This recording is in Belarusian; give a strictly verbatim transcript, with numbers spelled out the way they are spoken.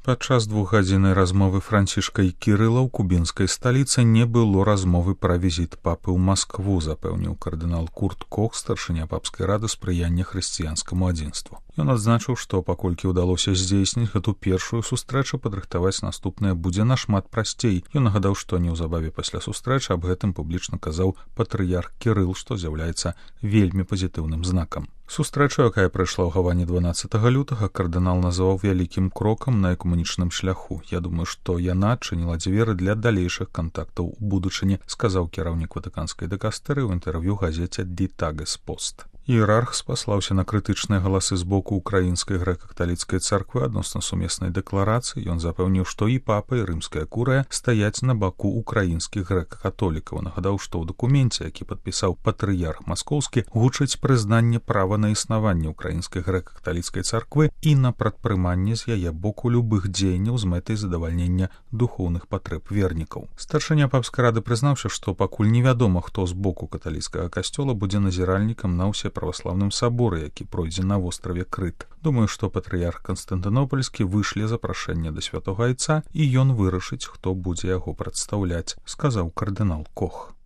Падчас двухгадзіннай размовы Францішка і Кірыла ў кубінскай сталіцы не было размовы пра візіт папы ў Маскву, запэўніў кардынал Курт Кох, старшыня папскай рады спрыяння хрысціянскаму адзінству. Ён адзначыў, што паколькі ўдалося здзейсніць гэту першую сустрэчу, падрыхтаваць наступнае будзе нашмат прасцей. Ён нагадаў, што неўзабаве пасля сустрэчы аб гэтым публічна казаў патрыярх Кірыл, што з'яўляецца вельмі пазітыўным знакам. Сустрэчу, якая прайшла ў Гаване дванаццатага лютага, кардынал называў вялікім крокам на экуменічным шляху. Я думаю, што яна адчыніла дзверы для далейшых кантактаў у будучыні, сказаў кіраўнік ватыканскай дыкастэрыі ў інтэрв'ю газеце «Ди Тагес Пост». Іерарх спаслаўся на крытычныя галасы з боку украінскай грэка-каталіцкай царквы адносна сумеснай дэкларацыі. Ён запэўніў, што і папа, і рымская курыя стаяць на баку украінскіх грэка-католікаў. Нагадаў, што ў дакуменце, які падпісаў патрыярх маскоўскі, гучыць прызнанне права на існаванне украінскай грэка-каталіцкай царквы і на прадпрыманне з яе боку любых дзеянняў з мэтай задавальнення духоўных патрэб вернікаў. Старшыня папскай рады прызнаўся, што пакуль невядома, хто з боку каталіцкага касцёла будзе назіральнікам на ўсе праваслаўным саборы, які пройдзе на востраве Крыт. Думаю, што патрыярх Канстантынопольскі вышле запрашэнне да святога айца, і ён вырашыць, хто будзе яго прадстаўляць, сказаў кардынал Кох.